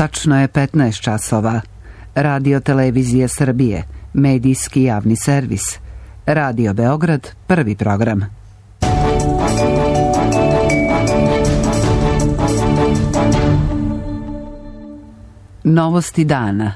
Tačno je 15 časova. Radio Televizije Srbije, medijski javni servis. Radio Beograd, prvi program. Novosti dana.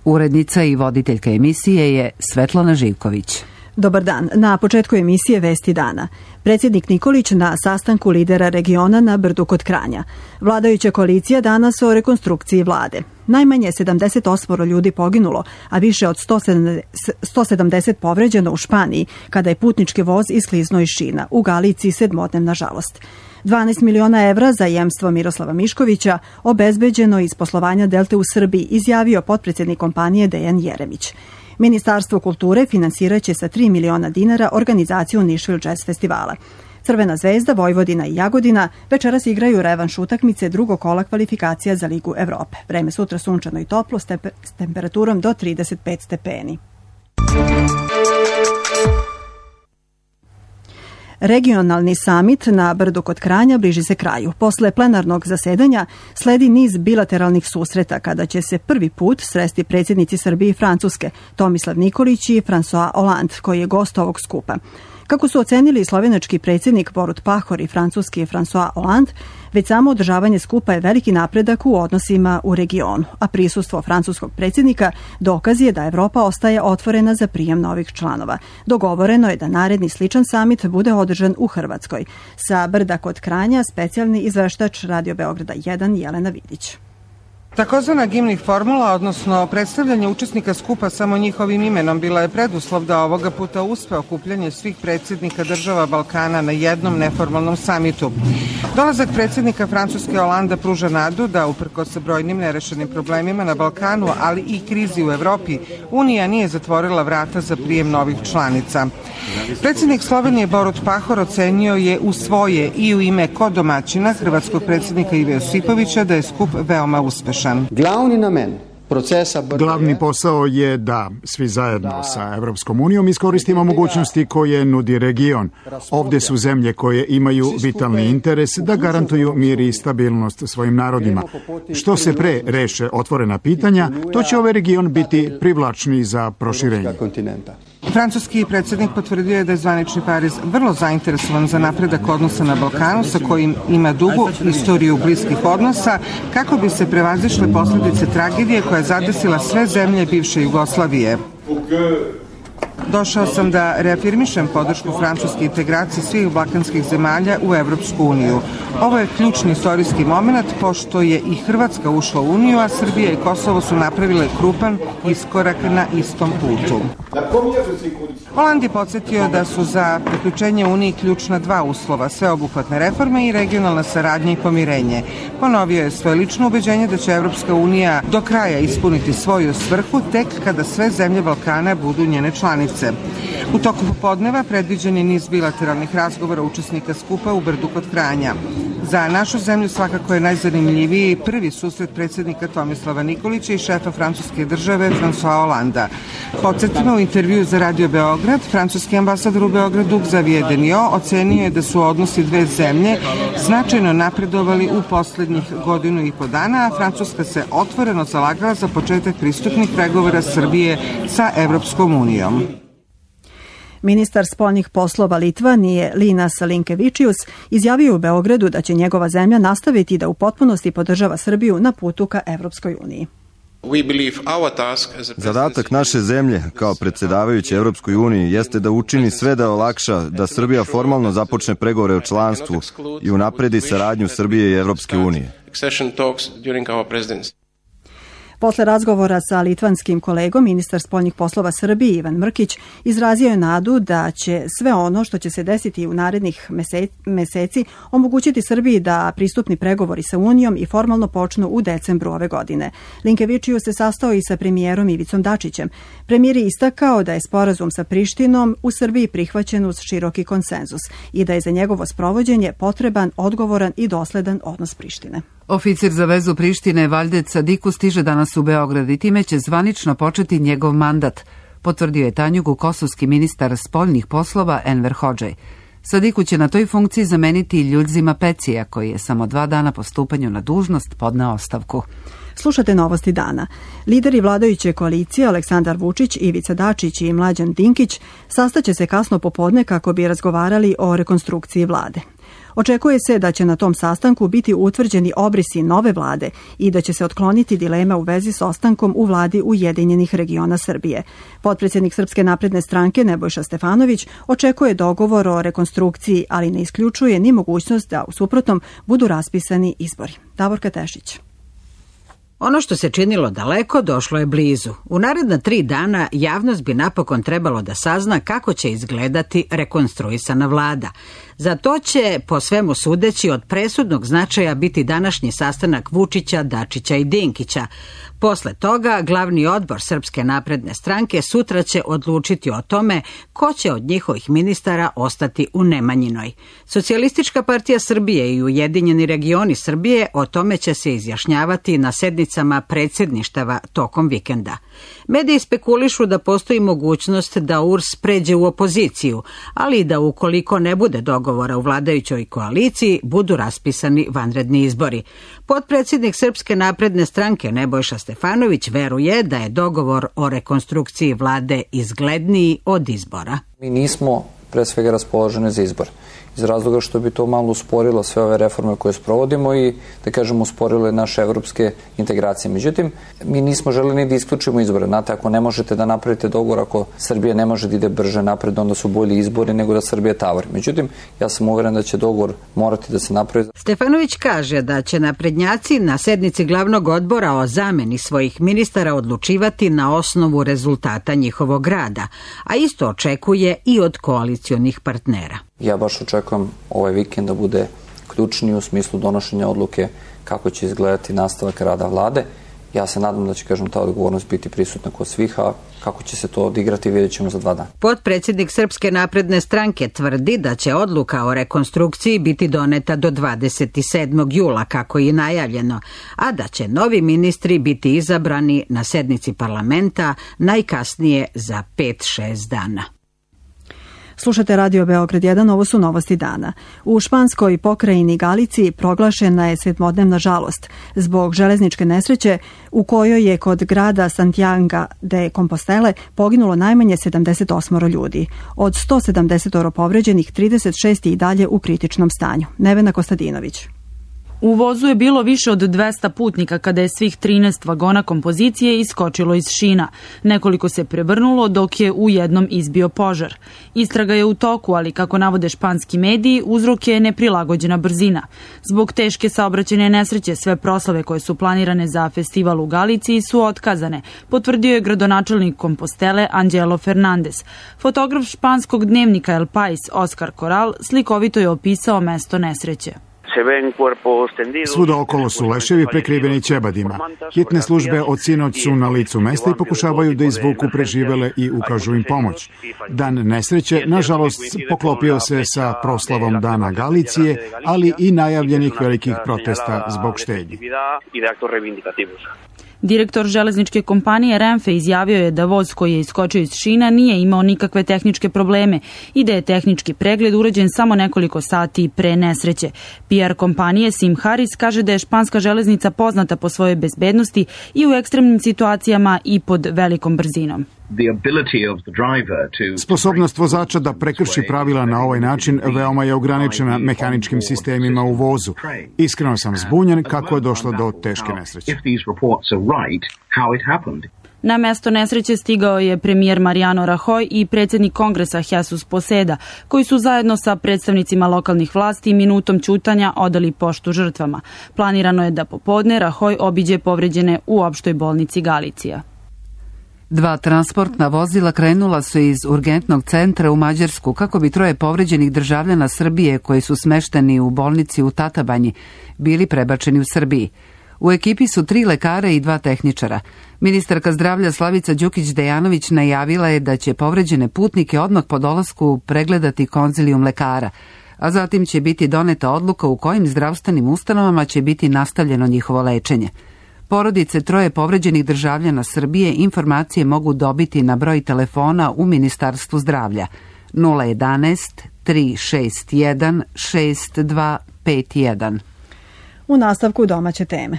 Urednica i voditeljka emisije je Svetlana Živković. Dobar dan. Na početku emisije Vesti dana. Predsjednik Nikolić na sastanku lidera regiona na Brdu kod Kranja. Vladajuća koalicija danas o rekonstrukciji vlade. Najmanje 78 ljudi poginulo, a više od 170 povređeno u Španiji, kada je putnički voz iskliznuo iz šina. U Galiciji 7-dnevna žalost. 12 miliona evra za jemstvo Miroslava Miškovića obezbeđeno iz poslovanja Delte u Srbiji, izjavio potpredsjednik kompanije Dejan Jeremić. Ministarstvo kulture finansiraće sa 3 miliona dinara organizaciju Nišvil Jazz festivala. Crvena zvezda, Vojvodina i Jagodina večeras igraju revanš utakmice drugog kola kvalifikacija za Ligu Evrope. Vreme sutra sunčano i toplo s temperaturom do 35 stepeni. Regionalni samit na Brdu kod Kranja bliži se kraju. Posle plenarnog zasedanja sledi niz bilateralnih susreta kada će se prvi put sresti predsjednici Srbije i Francuske, Tomislav Nikolić i François Hollande, koji je gost ovog skupa. Kako su ocenili slovenački predsjednik Borut Pahor i francuski François Hollande, već samo održavanje skupa je veliki napredak u odnosima u regionu, a prisustvo francuskog predsjednika dokaz je da Evropa ostaje otvorena za prijem novih članova. Dogovoreno je da naredni sličan samit bude održan u Hrvatskoj. Sa Brda kod Kranja specijalni izveštač Radio Beograda 1 Jelena Vidić. Takozvana gimnih formula, odnosno predstavljanje učesnika skupa samo njihovim imenom, bila je preduslov da ovoga puta uspe okupljanje svih predsjednika država Balkana na jednom neformalnom samitu. Dolazak predsjednika Francuske Holanda pruža nadu da, uprkos sa brojnim nerešenim problemima na Balkanu, ali i krizi u Evropi, Unija nije zatvorila vrata za prijem novih članica. Predsjednik Slovenije Borut Pahor ocenio je u svoje i u ime kodomaćina hrvatskog predsjednika Ive Josipovića da je skup veoma uspešan. Glavni posao je da svi zajedno sa Evropskom unijom iskoristimo mogućnosti koje nudi region. Ovdje su zemlje koje imaju vitalni interes da garantuju mir i stabilnost svojim narodima. Što se pre reše otvorena pitanja, to će ovaj region biti privlačniji za proširenje. Francuski predsjednik potvrdio je da je zvanični Pariz vrlo zainteresovan za napredak odnosa na Balkanu, sa kojim ima dugu istoriju bliskih odnosa, kako bi se prevazišle posljedice tragedije koja je zadesila sve zemlje bivše Jugoslavije. Došao sam da reafirmišem podršku francuske integracije svih balkanskih zemalja u Evropsku uniju. Ovo je ključni istorijski moment, pošto je i Hrvatska ušla u Uniju, a Srbija i Kosovo su napravile krupan iskorak na istom putu. Holand je podsjetio da su za priključenje Uniji ključna dva uslova, sveobuhvatne reforme i regionalna saradnja i pomirenje. Ponovio je svoje lično ubeđenje da će Evropska unija do kraja ispuniti svoju svrhu tek kada sve zemlje Balkana budu njene članice. U toku popodneva predviđen je niz bilateralnih razgovora učesnika skupa u Brdu kod Kranja. Za našu zemlju svakako je najzanimljiviji prvi susret predsjednika Tomislava Nikolića i šefa francuske države François Hollanda. Podsjetimo, u intervju za Radio Beograd, francuski ambasador u Beogradu Xavier Deniot ocenio je da su odnosi dve zemlje značajno napredovali u posljednjih godinu i po dana, a Francuska se otvoreno zalagala za početak pristupnih pregovora Srbije sa Evropskom unijom. Ministar spoljnih poslova Litvanije Linas Linkevičius izjavio u Beogradu da će njegova zemlja nastaviti da u potpunosti podržava Srbiju na putu ka Evropskoj uniji. Zadatak naše zemlje kao predsjedavajuće Evropskoj uniji jeste da učini sve da olakša da Srbija formalno započne pregovore o članstvu i unapredi saradnju Srbije i Evropske unije. Posle razgovora sa litvanskim kolegom, ministar spoljnih poslova Srbije Ivan Mrkić izrazio je nadu da će sve ono što će se desiti u narednih meseci omogućiti Srbiji da pristupni pregovori sa Unijom i formalno počnu u decembru ove godine. Linkevičius se sastao i sa premijerom Ivicom Dačićem. Premijer je istakao da je sporazum sa Prištinom u Srbiji prihvaćen uz široki konsenzus i da je za njegovo sprovođenje potreban, odgovoran i dosledan odnos Prištine. Oficir za vezu Prištine Valdec Sadiku stiže danas u Beograd i time će zvanično početi njegov mandat, potvrdio je Tanjugu kosovski ministar spoljnih poslova Enver Hodžaj. Sadiku će na toj funkciji zameniti Ljudzima Pecija, koji je samo 2 dana po stupanju na dužnost podneo ostavku. Slušate Novosti dana. Lideri vladajuće koalicije Aleksandar Vučić, Ivica Dačić i Mlađan Dinkić sastaće se kasno popodne kako bi razgovarali o rekonstrukciji vlade. Očekuje se da će na tom sastanku biti utvrđeni obrisi nove vlade i da će se otkloniti dilema u vezi s ostankom u vladi Ujedinjenih regiona Srbije. Potpredsjednik Srpske napredne stranke Nebojša Stefanović očekuje dogovor o rekonstrukciji, ali ne isključuje ni mogućnost da u suprotnom budu raspisani izbori. Davorka Tešić. Ono što se činilo daleko došlo je blizu. U naredna 3 dana javnost bi napokon trebalo da sazna kako će izgledati rekonstruisana vlada. Za to će, po svemu sudeći, od presudnog značaja biti današnji sastanak Vučića, Dačića i Dinkića. Posle toga, glavni odbor Srpske napredne stranke sutra će odlučiti o tome ko će od njihovih ministara ostati u Nemanjinoj. Socijalistička partija Srbije i Ujedinjeni regioni Srbije o tome će se izjašnjavati na sednicama predsjedništava tokom vikenda. Mediji spekulišu da postoji mogućnost da URS pređe u opoziciju, ali i da ukoliko ne bude dogovora u vladajućoj koaliciji, budu raspisani vanredni izbori. Potpredsjednik Srpske napredne stranke Nebojša Stefanović veruje da je dogovor o rekonstrukciji vlade izgledniji od izbora. Mi nismo pre svega raspoloženi za izbor, iz razloga što bi to malo usporilo sve ove reforme koje sprovodimo i, da kažemo, usporile naše evropske integracije. Međutim, mi nismo želeli ni da isključimo izbore. Znate, ako ne možete da napravite dogovor, ako Srbija ne može da ide brže napred, onda su bolji izbori nego da Srbija tavari. Međutim, ja sam uveren da će dogovor morati da se napravi. Stefanović kaže da će naprednjaci na sednici glavnog odbora o zameni svojih ministara odlučivati na osnovu rezultata njihovog rada, a isto očekuje i od koalicionih partnera. Ja baš očekujem ovaj vikend da bude ključni u smislu donošenja odluke kako će izgledati nastavak rada vlade. Ja se nadam da će, ta odgovornost biti prisutna kod svih, a kako će se to odigrati vidjet ćemo za 2 dana. Potpredsjednik Srpske napredne stranke tvrdi da će odluka o rekonstrukciji biti doneta do 27. jula, kako je najavljeno, a da će novi ministri biti izabrani na sednici parlamenta najkasnije za 5-6 dana. Slušate Radio Beograd 1, ovo su Novosti dana. U španskoj pokrajini Galiciji proglašena je 7-dnevna žalost zbog železničke nesreće u kojoj je kod grada Santiago de Compostela poginulo najmanje 78 ljudi. Od 170 povređenih, 36 i dalje u kritičnom stanju. Nevena Kostadinović. U vozu je bilo više od 200 putnika kada je svih 13 vagona kompozicije iskočilo iz šina. Nekoliko se prevrnulo dok je u jednom izbio požar. Istraga je u toku, ali kako navode španski mediji, uzrok je neprilagođena brzina. Zbog teške saobraćajne nesreće sve proslave koje su planirane za festival u Galiciji su otkazane, potvrdio je gradonačelnik Compostele Angelo Fernandez. Fotograf španskog dnevnika El País Oscar Corral slikovito je opisao mesto nesreće. Svuda okolo su leševi prekriveni ćebadima. Hitne službe od sinoć su na licu mesta i pokušavaju da izvuku preživele i ukažu im pomoć. Dan nesreće, nažalost, poklopio se sa proslavom Dana Galicije, ali i najavljenih velikih protesta zbog štednje. Direktor železničke kompanije Renfe izjavio je da voz koji je iskočio iz šina nije imao nikakve tehničke probleme i da je tehnički pregled urađen samo nekoliko sati pre nesreće. PR kompanije Sim Harris kaže da je španska železnica poznata po svojoj bezbednosti i u ekstremnim situacijama i pod velikom brzinom. Sposobnost vozača da prekrši pravila na ovaj način veoma je ograničena mehaničkim sistemima u vozu. Iskreno sam zbunjen kako je došlo do teške nesreće. Na mesto nesreće stigao je premijer Mariano Rajoy i predsjednik kongresa Jesus Poseda, koji su zajedno sa predstavnicima lokalnih vlasti minutom ćutanja odali poštu žrtvama. Planirano je da popodne Rajoy obiđe povređene u opštoj bolnici Galicija. 2 transportna vozila krenula su iz urgentnog centra u Mađarsku kako bi 3 povređenih državljana Srbije koji su smešteni u bolnici u Tatabanji bili prebačeni u Srbiji. U ekipi su 3 lekara i 2 tehničara. Ministarka zdravlja Slavica Đukić-Dejanović najavila je da će povređene putnike odmah po dolasku pregledati konzilijum lekara, a zatim će biti doneta odluka u kojim zdravstvenim ustanovama će biti nastavljeno njihovo lečenje. Porodice 3 povređenih državljana Srbije informacije mogu dobiti na broj telefona u Ministarstvu zdravlja 011 361 6251. U nastavku domaće teme.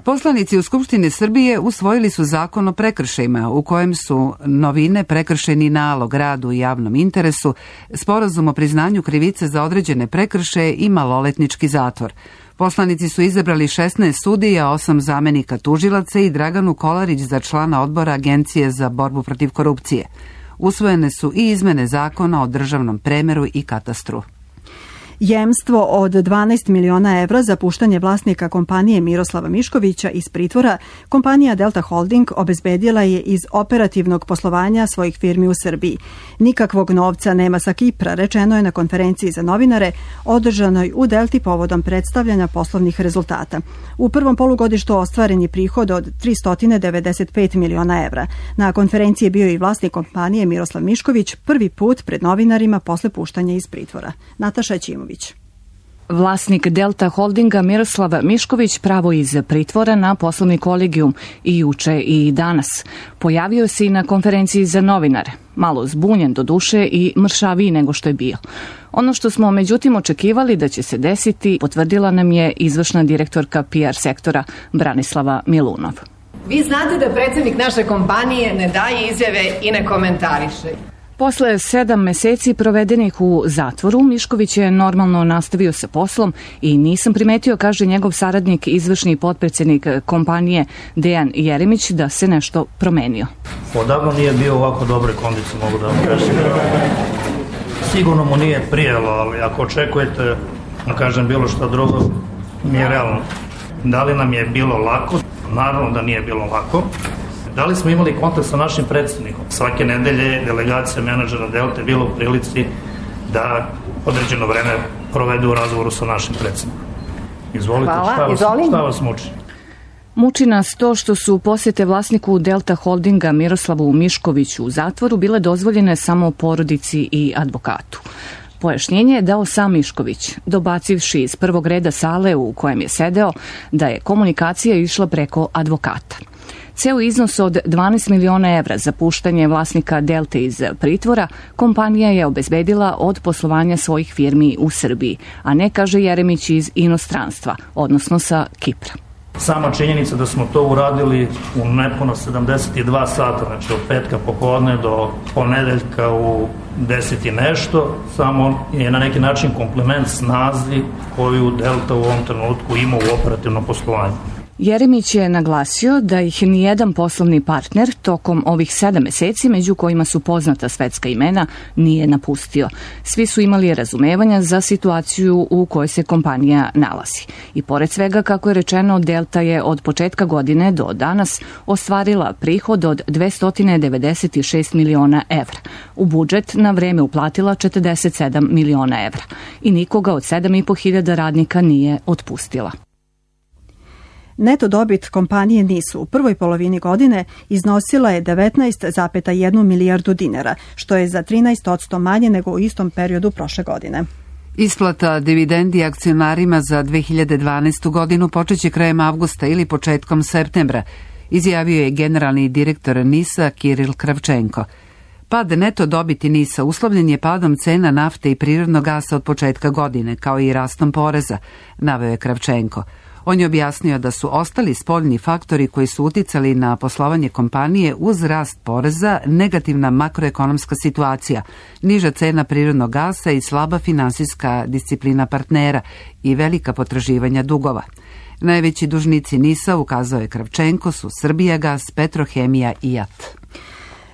Poslanici u Skupštini Srbije usvojili su zakon o prekršajima u kojem su novine prekršajni nalog, rad u javnom interesu, sporazum o priznanju krivice za određene prekršaje i maloletnički zatvor. Poslanici su izabrali 16 sudija, 8 zamenika tužilaca i Draganu Kolarić za člana odbora Agencije za borbu protiv korupcije. Usvojene su i izmene zakona o državnom premeru i katastru. Jemstvo od 12 miliona evra za puštanje vlasnika kompanije Miroslava Miškovića iz pritvora, kompanija Delta Holding obezbedila je iz operativnog poslovanja svojih firmi u Srbiji. Nikakvog novca nema sa Kipra, rečeno je na konferenciji za novinare održanoj u Delti povodom predstavljanja poslovnih rezultata. U prvom polugodištu ostvaren je prihod od 395 miliona evra. Na konferenciji je bio i vlasnik kompanije Miroslav Mišković, prvi put pred novinarima posle puštanja iz pritvora. Nataša Ćimović. Vlasnik Delta Holdinga Miroslav Mišković pravo iz pritvora na poslovni kolegijum i juče i danas. Pojavio se i na konferenciji za novinare, malo zbunjen do duše i mršaviji nego što je bio. Ono što smo međutim očekivali da će se desiti, potvrdila nam je izvršna direktorka PR sektora Branislava Milunov. Vi znate da predsjednik naše kompanije ne daje izjave i ne komentariše. Posle 7 meseci provedenih u zatvoru, Mišković je normalno nastavio sa poslom i nisam primetio, kaže njegov saradnik, izvršni potpredsjednik kompanije Dejan Jeremić, da se nešto promenio. Odavno nije bio u ovako dobre kondicije, mogu da vam kažem. Sigurno mu nije prijelo, ali ako očekujete, da kažem bilo što drugo, nije realno. Da li nam je bilo lako? Naravno da nije bilo lako. Da li smo imali kontakt sa našim predsjednikom? Svake nedelje delegacija menadžera Delte bila u prilici da određeno vreme provedu u razgovoru sa našim predsjednikom. Izvolite, šta vas muči? Muči nas to što su posjete vlasniku Delta Holdinga Miroslavu Miškoviću u zatvoru bile dozvoljene samo porodici i advokatu. Pojašnjenje je dao sam Mišković, dobacivši iz prvog reda sale u kojem je sedeo da je komunikacija išla preko advokata. Ceo iznos od 12 miliona evra za puštanje vlasnika Delte iz pritvora kompanija je obezbedila od poslovanja svojih firmi u Srbiji, a ne, kaže Jeremić, iz inostranstva, odnosno sa Kipra. Sama činjenica da smo to uradili u nepuno 72 sata, znači od petka popodne do ponedeljka u 10 i nešto, samo je na neki način komplement snazi koju Delta u ovom trenutku ima u operativnom poslovanju. Jeremić je naglasio da ih nijedan poslovni partner tokom ovih 7 meseci, među kojima su poznata svetska imena, nije napustio. Svi su imali razumevanja za situaciju u kojoj se kompanija nalazi. I pored svega, kako je rečeno, Delta je od početka godine do danas ostvarila prihod od 296 miliona evra. U budžet na vreme uplatila 47 miliona evra. I nikoga od 7.500 radnika nije otpustila. Neto dobit kompanije NIS u prvoj polovini godine iznosila je 19,1 milijardu dinara, što je za 13% manje nego u istom periodu prošle godine. Isplata dividendi akcionarima za 2012. godinu počeće krajem avgusta ili početkom septembra, izjavio je generalni direktor NIS-a Kiril Kravčenko. Pad neto dobiti NIS-a uslovljen je padom cena nafte i prirodnog gasa od početka godine, kao i rastom poreza, naveo je Kravčenko. On je objasnio da su ostali spoljni faktori koji su uticali na poslovanje kompanije uz rast poreza, negativna makroekonomska situacija, niža cena prirodnog gasa i slaba finansijska disciplina partnera i velika potraživanja dugova. Najveći dužnici NIS-a, ukazao je Kravčenko, su Srbijagas, Petrohemija i JAT.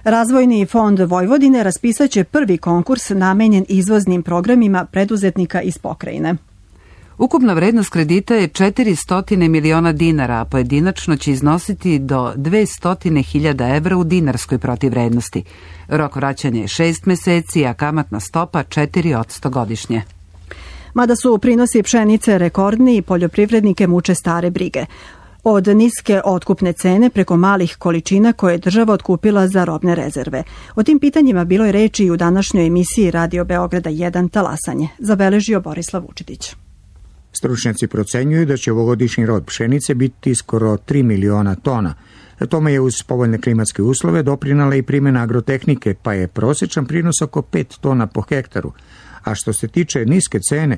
Razvojni fond Vojvodine raspisaće prvi konkurs namenjen izvoznim programima preduzetnika iz pokrajine. Ukupna vrednost kredita je 400 miliona dinara, a pojedinačno će iznositi do 200.000 evra u dinarskoj protivvrednosti. Rok vraćanja je 6 meseci, a kamatna stopa 4% godišnje. Mada su prinosi pšenice rekordni, poljoprivrednike muče stare brige. Od niske otkupne cene preko malih količina koje je država otkupila za robne rezerve. O tim pitanjima bilo je reči i u današnjoj emisiji Radio Beograda 1 Talasanje, zabeležio Borislav Vučetić. Stručnjaci procenjuju da će ovogodišnji rod pšenice biti skoro 3 miliona tona, Tome je uz povoljne klimatske uslove doprinala i primjena agrotehnike, pa je prosječan prinos oko 5 tona po hektaru. A što se tiče niske cene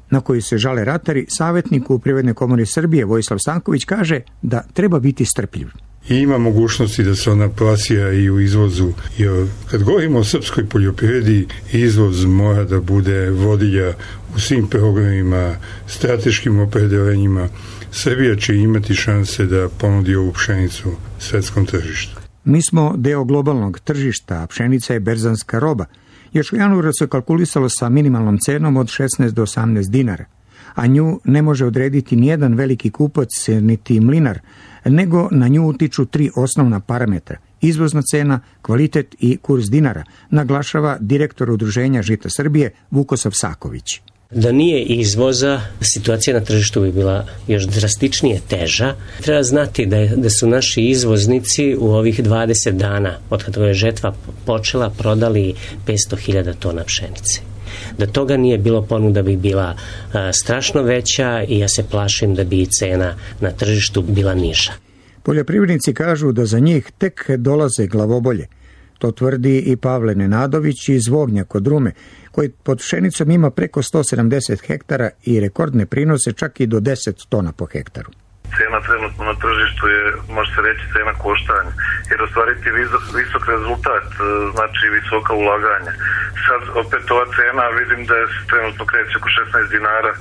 na koju se žale ratari, savjetnik u Privrednoj komori Srbije Vojislav Stanković kaže da treba biti strpljiv. I ima mogućnosti da se ona plasira i u izvozu. Jer kad govorimo o srpskoj poljoprivredi, izvoz mora da bude vodilja u svim programima, strateškim opredeljenjima. Srbija će imati šanse da ponudi ovu pšenicu svetskom tržištu. Mi smo deo globalnog tržišta, a pšenica je berzanska roba. Još u januaru se kalkulisalo sa minimalnom cenom od 16 do 18 dinara, a nju ne može odrediti nijedan veliki kupac, niti mlinar, nego na nju utiču 3 osnovna parametra: izvozna cena, kvalitet i kurs dinara, naglašava direktor Udruženja Žita Srbije Vukosav Saković. Da nije izvoza, situacija na tržištu bi bila još drastičnije teža. Treba znati da su naši izvoznici u ovih 20 dana, od kada je žetva počela, prodali 500.000 tona pšenice. Da toga nije bilo, ponuda bi bila strašno veća i ja se plašim da bi i cena na tržištu bila niža. Poljoprivrednici kažu da za njih tek dolaze glavobolje. To tvrdi i Pavle Nenadović iz Vognja kod Rume, koji pod pšenicom ima preko 170 hektara i rekordne prinose čak i do 10 tona po hektaru. Cena trenutno na tržištu je, može se reći, cena koštanja, jer ostvariti visok rezultat znači visoka ulaganja. Sad opet ova cena vidim da je trenutno kreće oko 16 dinara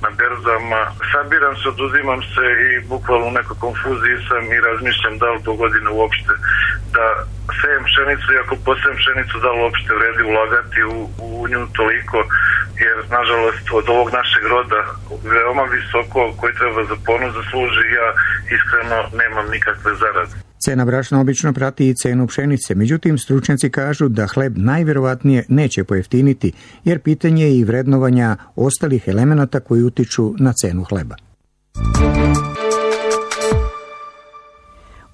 na berzama. Sabiram se, oduzimam se i bukvalno u nekoj konfuziji sam i razmišljam da li do godine uopšte da sejem pšenicu i ako posejem pšenicu da li uopšte vredi ulagati u nju toliko, jer nažalost od ovog našeg roda veoma visoko koji treba za ponos da služi, ja iskreno nemam nikakve zarade. Cena brašna obično prati i cenu pšenice, međutim stručnjaci kažu da hleb najverovatnije neće pojeftiniti, jer pitanje je i vrednovanja ostalih elemenata koji utiču na cenu hleba.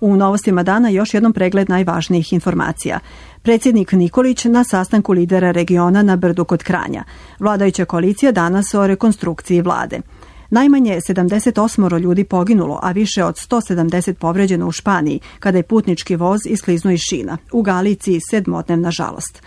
U novostima dana još jednom pregled najvažnijih informacija. Predsjednik Nikolić na sastanku lidera regiona na Brdu kod Kranja. Vladajuća koalicija danas o rekonstrukciji vlade. Najmanje 78 ljudi poginulo, a više od 170 povređeno u Španiji, kada je putnički voz iskliznuo iz šina. U Galiciji 7-dnevna žalost.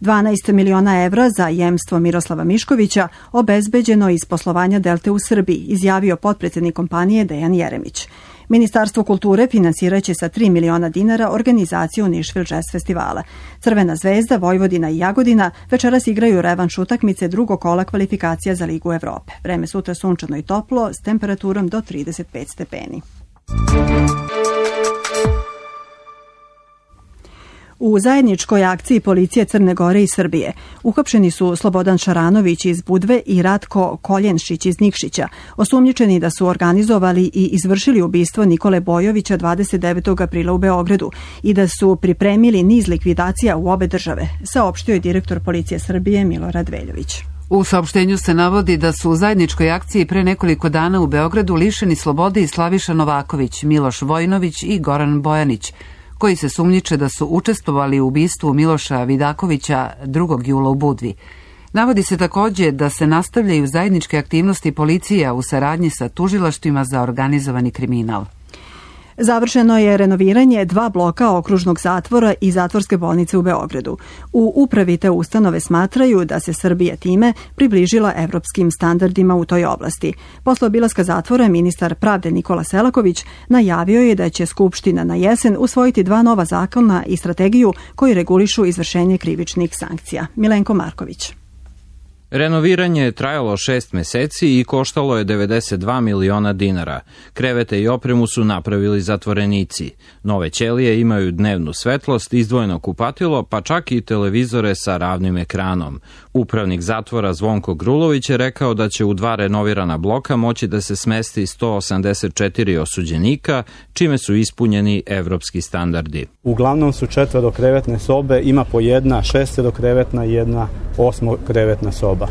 12 miliona evra za jemstvo Miroslava Miškovića obezbeđeno iz poslovanja Delte u Srbiji, izjavio potpredsjednik kompanije Dejan Jeremić. Ministarstvo kulture finansiraće sa 3 miliona dinara organizaciju Nišvil Jazz festivala. Crvena zvezda, Vojvodina i Jagodina večeras igraju revanš utakmice drugog kola kvalifikacija za Ligu Evrope. Vreme sutra sunčano i toplo s temperaturom do 35 stepeni. U zajedničkoj akciji policije Crne Gore i Srbije uhapšeni su Slobodan Šaranović iz Budve i Ratko Koljenšić iz Nikšića, osumnjičeni da su organizovali i izvršili ubistvo Nikole Bojovića 29. aprila u Beogradu i da su pripremili niz likvidacija u obe države, saopštio je direktor policije Srbije Milorad Veljović. U saopštenju se navodi da su u zajedničkoj akciji pre nekoliko dana u Beogradu lišeni slobode i Slaviša Novaković, Miloš Vojnović i Goran Bojanić, koji se sumnjiče da su učestvovali u ubistvu Miloša Vidakovića 2. jula u Budvi. Navodi se također da se nastavljaju zajedničke aktivnosti policija u saradnji sa tužilaštvima za organizovani kriminal. Završeno je renoviranje 2 bloka okružnog zatvora i zatvorske bolnice u Beogradu. U upravi te ustanove smatraju da se Srbija time približila evropskim standardima u toj oblasti. Posle obilaska zatvora ministar pravde Nikola Selaković najavio je da će Skupština na jesen usvojiti 2 nova zakona i strategiju koji regulišu izvršenje krivičnih sankcija. Milenko Marković. Renoviranje je trajalo 6 meseci i koštalo je 92 miliona dinara. Krevete i opremu su napravili zatvorenici. Nove ćelije imaju dnevnu svetlost, izdvojeno kupatilo, pa čak i televizore sa ravnim ekranom. Upravnik zatvora Zvonko Grulović je rekao da će u 2 renovirana bloka moći da se smesti 184 osuđenika, čime su ispunjeni evropski standardi. Uglavnom su 4 krevetne sobe, ima po 1 6 krevetna i 1 8 krevetna soba.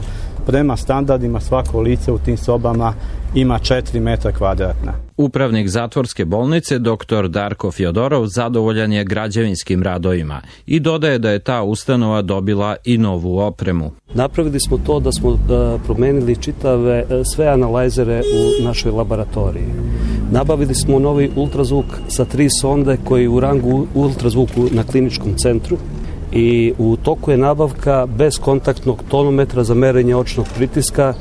Prema standardima svako lice u tim sobama ima 4 metra kvadratna. Upravnik zatvorske bolnice dr. Darko Fjodorov zadovoljan je građevinskim radovima i dodaje da je ta ustanova dobila i novu opremu. Napravili smo to da smo promenili čitave sve analajzere u našoj laboratoriji. Nabavili smo novi ultrazvuk sa 3 sonde koji je u rangu ultrazvuku na kliničkom centru i u toku je nabavka bezkontaktnog tonometra za merenje očnog pritiska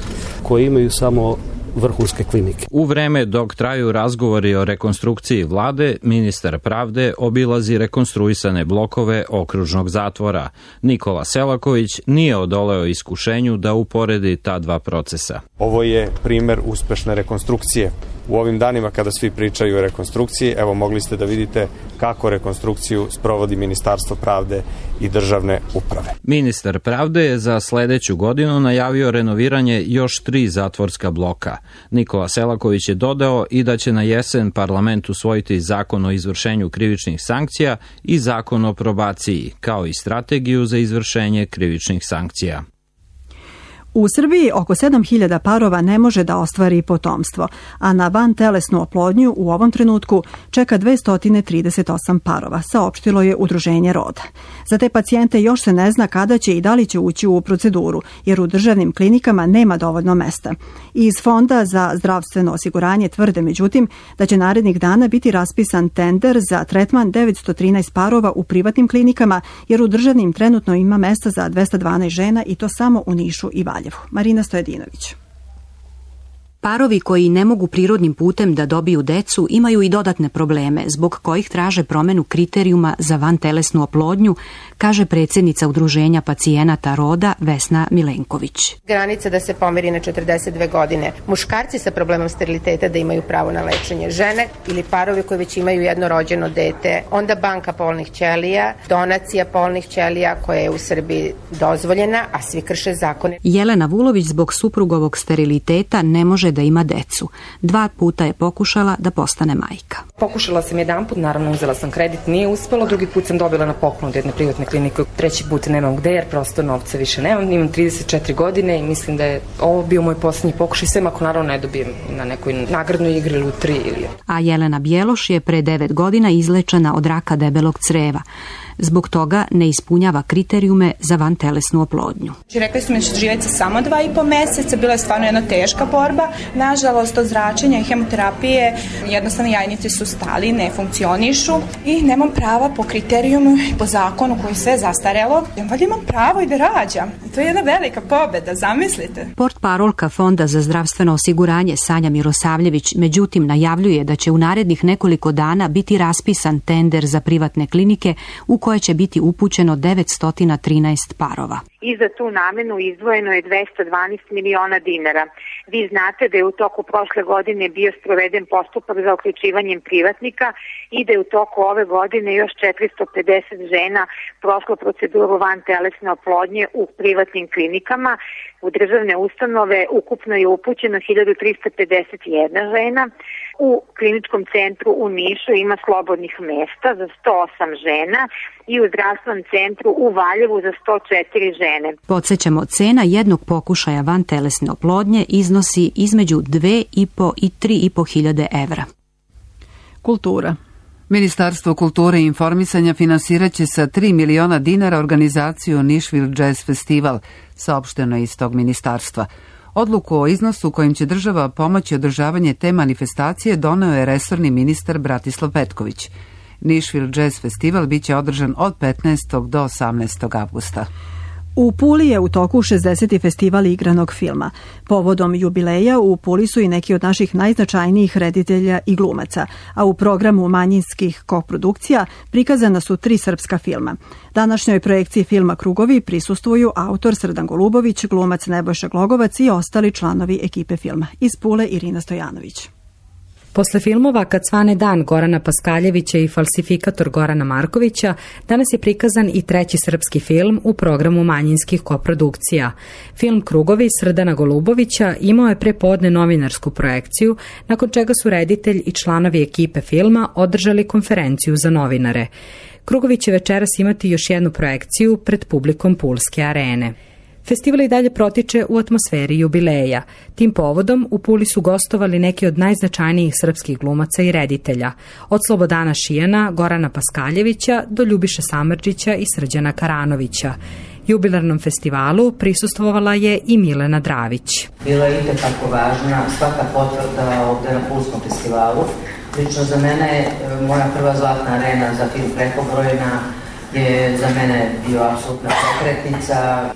koji imaju samo vrhunske klinike. U vreme dok traju razgovori o rekonstrukciji vlade, ministar pravde obilazi rekonstruisane blokove okružnog zatvora. Nikola Selaković nije odoleo iskušenju da uporedi ta dva procesa. Ovo je primer uspešne rekonstrukcije. U ovim danima kada svi pričaju o rekonstrukciji, evo mogli ste da vidite kako rekonstrukciju sprovodi Ministarstvo pravde i državne uprave. Ministar pravde je za sledeću godinu najavio renoviranje još 3 zatvorska bloka. Nikola Selaković je dodao i da će na jesen parlament usvojiti zakon o izvršenju krivičnih sankcija i zakon o probaciji, kao i strategiju za izvršenje krivičnih sankcija. U Srbiji oko 7.000 parova ne može da ostvari potomstvo, a na vantelesnu oplodnju u ovom trenutku čeka 238 parova, saopštilo je Udruženje Roda. Za te pacijente još se ne zna kada će i da li će ući u proceduru, jer u državnim klinikama nema dovoljno mesta. Iz Fonda za zdravstveno osiguranje tvrde, međutim, da će narednih dana biti raspisan tender za tretman 913 parova u privatnim klinikama, jer u državnim trenutno ima mesta za 212 žena i to samo u Nišu i Valjevu. Marina Stojedinović. Parovi koji ne mogu prirodnim putem da dobiju decu imaju i dodatne probleme, zbog kojih traže promenu kriterijuma za vantelesnu oplodnju, kaže predsjednica Udruženja pacijenata Roda Vesna Milenković. Granica da se pomeri na 42 godine. Muškarci sa problemom steriliteta da imaju pravo na lečenje, žene ili parovi koji već imaju jedno rođeno dete, onda banka polnih ćelija, donacija polnih ćelija koja je u Srbiji dozvoljena, a svi krše zakone. Jelena Vulović zbog suprugovog steriliteta ne može da ima decu. 2 puta je pokušala da postane majka. Pokušala sam jedanput, naravno uzela sam kredit, nije uspelo, drugi put sam dobila na poklon od jedne privatne klinike, 3. put nemam gde jer prosto novca više nemam, imam 34 godine i mislim da je ovo bio moj posljednji pokušaj, sve ako naravno ne dobijem na nekoj nagradnoj igri lutri. A Jelena Bjeloš je pre 9 godina izlečena od raka debelog creva. Zbog toga ne ispunjava kriterijume za vantelesnu oplodnju. Rekli smo da će živjeti samo 2,5 meseca, bila je stvarno jedna teška borba. Nažalost, od zračenja i hemoterapije jednostavno jajnice su stali, ne funkcionišu i nemam prava po kriterijumu i po zakonu koji sve zastarelo. Valjda imam pravo i da rađam. To je jedna velika pobeda, zamislite. Portparolka Fonda za zdravstveno osiguranje Sanja Mirosavljević međutim najavljuje da će u narednih nekoliko dana biti raspisan tender za privatne klinike u koje će biti upućeno 913 parova. I za tu namenu izdvojeno je 212 miliona dinara. Vi znate da je u toku prošle godine bio sproveden postupak za uključivanjem privatnika i da je u toku ove godine još 450 žena prošlo proceduru vantelesne oplodnje u privatnim klinikama. U državne ustanove ukupno je upućeno 1351 žena. U kliničkom centru u Nišu ima slobodnih mesta za 108 žena i u zdravstvenom centru u Valjevu za 104 žene. Podsjećamo, cena jednog pokušaja vantelesne oplodnje iznosi između 2,5 i 3,5 hiljade evra. Kultura. Ministarstvo kulture i informisanja finansiraće sa 3 miliona dinara organizaciju Nišvil Jazz Festival, saopšteno iz tog ministarstva. Odluku o iznosu kojim će država pomoći održavanje te manifestacije doneo je resorni ministar Bratislav Petković. Nišvil Jazz Festival biće održan od 15. do 18. avgusta. U Puli je u toku 60. festival igranog filma. Povodom jubileja u Puli su i neki od naših najznačajnijih reditelja i glumaca, a u programu manjinskih koprodukcija prikazana su 3 srpska filma. Današnjoj projekciji filma Krugovi prisustvuju autor Srdan Golubović, glumac Nebojša Glogovac i ostali članovi ekipe filma. Iz Pule Irina Stojanović. Posle filmova Kad svane dan Gorana Paskaljevića i Falsifikator Gorana Markovića, danas je prikazan i 3. srpski film u programu manjinskih koprodukcija. Film Krugovi Srdana Golubovića imao je prepodne novinarsku projekciju, nakon čega su reditelj i članovi ekipe filma održali konferenciju za novinare. Krugovi će večeras imati još jednu projekciju pred publikom Pulske arene. Festival i dalje protiče u atmosferi jubileja. Tim povodom u Puli su gostovali neki od najznačajnijih srpskih glumaca i reditelja, od Slobodana Šijana, Gorana Paskaljevića do Ljubiše Samardžića i Srđana Karanovića. Jubilarnom festivalu prisustvovala je i Milena Dravić. Bila je itekako važna svaka potvrda ovde na Pulskom festivalu. Lično za mene, moja prva zlatna arena za film Prekobrojna je za mene bio apsolutna pokretnica.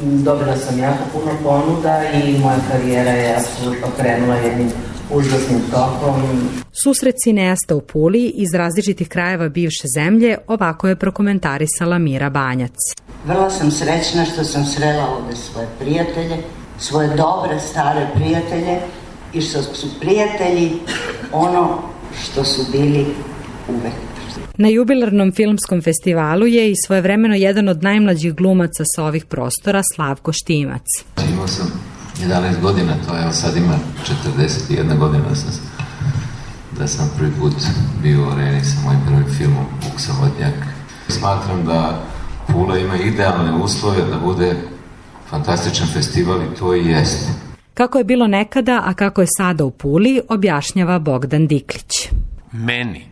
Dobila sam jako puno ponuda i moja karijera je apsolutno krenula jednim užasnim tokom. Susret cineasta u Puli iz različitih krajeva bivše zemlje ovako je prokomentarisala Mira Banjac. Vrlo sam srećna što sam srela ovde svoje prijatelje, svoje dobre stare prijatelje i što su prijatelji ono što su bili uvek. Na jubilarnom filmskom festivalu je i svojevremeno jedan od najmlađih glumaca sa ovih prostora, Slavko Štimac. Imao sam 11 godina, to evo sad ima 41 godina da sam prvi put bio u areni sa mojim prvim filmom Vuk Samotnjak. Smatram da Pula ima idealne uslove da bude fantastičan festival i to i jeste. Kako je bilo nekada, a kako je sada u Puli, objašnjava Bogdan Diklić. Meni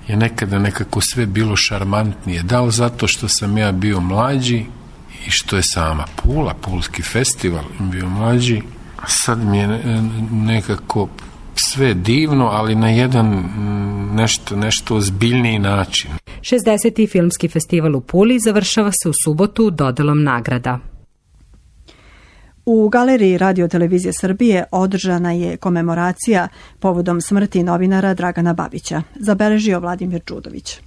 je nekada nekako sve bilo šarmantnije. Da li zato što sam ja bio mlađi i što je sama Pula, Pulski festival bio mlađi. Sad mi je nekako sve divno, ali na jedan nešto ozbiljniji način. 60. filmski festival u Puli završava se u subotu dodelom nagrada. U Galeriji Radio-televizije Srbije održana je komemoracija povodom smrti novinara Dragana Babića, zabeležio Vladimir Đudović.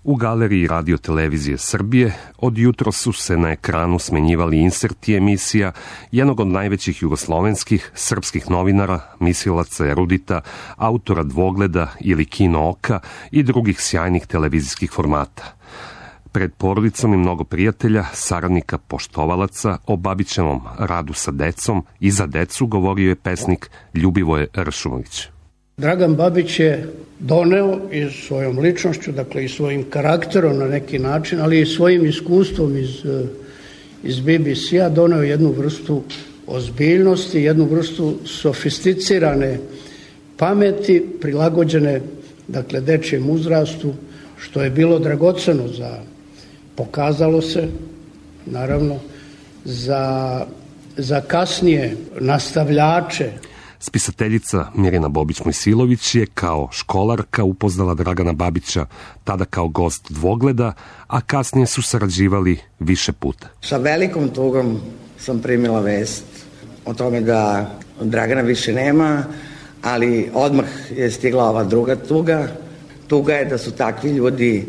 U Galeriji Radio-televizije Srbije od jutro su se na ekranu smenjivali inserti emisija jednog od najvećih jugoslovenskih srpskih novinara, mislilaca, erudita, autora Dvogleda ili Kino oka i drugih sjajnih televizijskih formata. Pred porodicom i mnogo prijatelja, saradnika, poštovalaca o Babićevom radu sa decom i za decu govorio je pesnik Ljubivoje Ršumović. Dragan Babić je doneo i svojom ličnošću, dakle i svojim karakterom na neki način, ali i svojim iskustvom iz BBC-a doneo jednu vrstu ozbiljnosti, jednu vrstu sofisticirane pameti, prilagođene, dakle, dečijem uzrastu, što je bilo dragoceno pokazalo se, naravno, za kasnije nastavljače. Spisateljica Mirjana Bobić-Mojsilović je kao školarka upoznala Dragana Babića, tada kao gost Dvogleda, a kasnije su sarađivali više puta. Sa velikom tugom sam primila vest o tome da Dragana više nema, ali odmah je stigla ova druga tuga. Tuga je da su takvi ljudi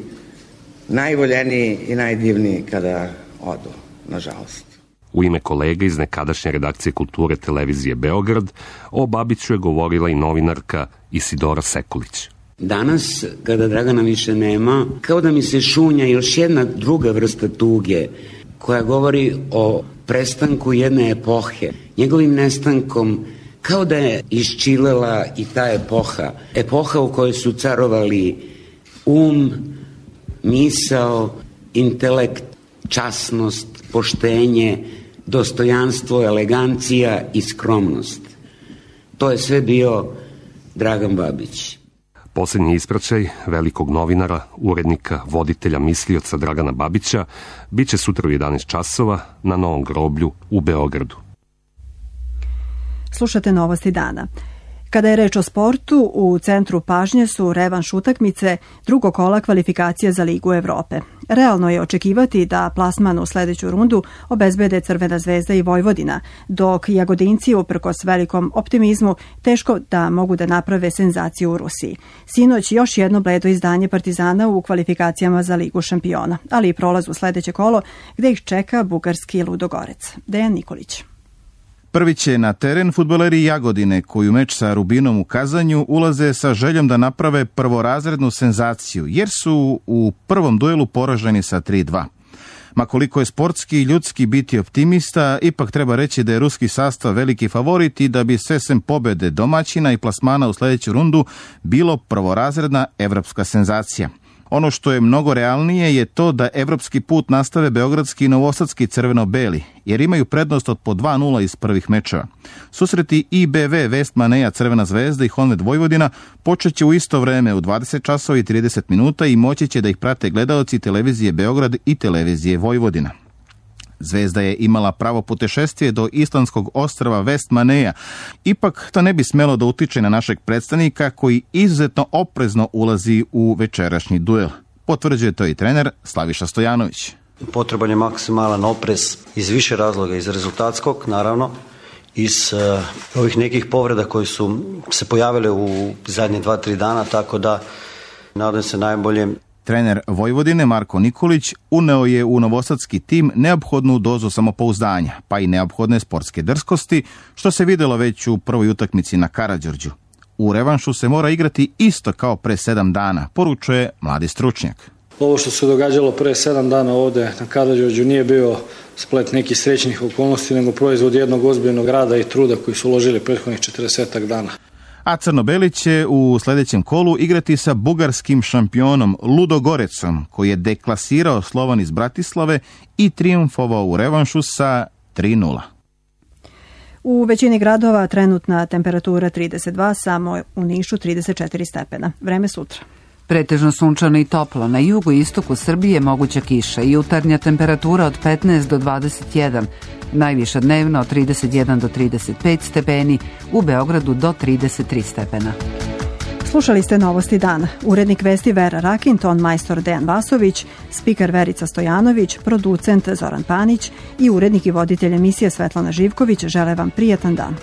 najvoljeniji i najdivniji kada odu, nažalost. U ime kolega iz nekadašnje redakcije kulture televizije Beograd o Babiću je govorila i novinarka Isidora Sekulić. Danas, kada Dragana više nema, kao da mi se šunja još jedna druga vrsta tuge koja govori o prestanku jedne epohe. Njegovim nestankom kao da je iščilela i ta epoha u kojoj su carovali misao, intelekt, časnost, poštenje, dostojanstvo, elegancija i skromnost. To je sve bio Dragan Babić. Posljednji ispraćaj velikog novinara, urednika, voditelja, mislioca Dragana Babića biće sutra u 11 časova na Novom groblju u Beogradu. Slušate Novosti dana. Kada je reč o sportu, u centru pažnje su revanš utakmice drugog kola kvalifikacije za Ligu Evrope. Realno je očekivati da plasman u sledeću rundu obezbede Crvena zvezda i Vojvodina, dok Jagodinci, uprkos velikom optimizmu, teško da mogu da naprave senzaciju u Rusiji. Sinoć još jedno bledo izdanje Partizana u kvalifikacijama za Ligu šampiona, ali i prolaz u sledeće kolo gde ih čeka bugarski Ludogorec. Dejan Nikolić. Prvi će na teren fudbaleri Jagodine, koji u meč sa Rubinom u Kazanju ulaze sa željom da naprave prvorazrednu senzaciju, jer su u prvom duelu poraženi sa 3-2. Ma koliko je sportski i ljudski biti optimista, ipak treba reći da je ruski sastav veliki favorit i da bi sve sem pobede domaćina i plasmana u sljedeću rundu bilo prvorazredna evropska senzacija. Ono što je mnogo realnije je to da evropski put nastave beogradski i novosadski crveno-beli, jer imaju prednost od po 2-0 iz prvih mečeva. Susreti IBV Vestmaneja Crvena zvezda i Honved Vojvodina počeće u isto vreme u 20 časova i 30 minuta i moći će da ih prate gledaoci televizije Beograd i televizije Vojvodina. Zvezda je imala pravo putešestvije do islandskog ostrva West Maneja. Ipak to ne bi smelo da utiče na našeg predstavnika koji izuzetno oprezno ulazi u večerašnji duel. Potvrđuje to i trener Slaviša Stojanović. Potreban je maksimalan oprez iz više razloga, iz rezultatskog naravno, iz ovih nekih povreda koji su se pojavile u zadnje 2-3 dana, tako da nadam se najbolje. Trener Vojvodine Marko Nikolić uneo je u novosadski tim neophodnu dozu samopouzdanja, pa i neophodne sportske drskosti, što se vidjelo već u prvoj utakmici na Karađorđu. U revanšu se mora igrati isto kao pre 7 dana, poručuje mladi stručnjak. Ovo što se događalo pre 7 dana ovde na Karađorđu nije bio splet nekih srećnih okolnosti, nego proizvod jednog ozbiljnog rada i truda koji su uložili prethodnih 40 dana. A Crnobeli će u sljedećem kolu igrati sa bugarskim šampionom Ludogorecom, koji je deklasirao Slovan iz Bratislave i trijumfovao u revanšu sa 3:0. U većini gradova trenutna temperatura 32, samo u Nišu 34 stepena. Vreme sutra. Pretežno sunčano i toplo. Na jugu i istoku Srbije moguća kiša i jutarnja temperatura od 15 do 21. Najviša dnevno od 31 do 35 stepeni, u Beogradu do 33 stepena. Slušali ste Novosti dana. Urednik vesti Vera Rakin, ton majstor Dejan Vasović, spiker Verica Stojanović, producent Zoran Panić i urednik i voditelj emisije Svetlana Živković žele vam prijatan dan.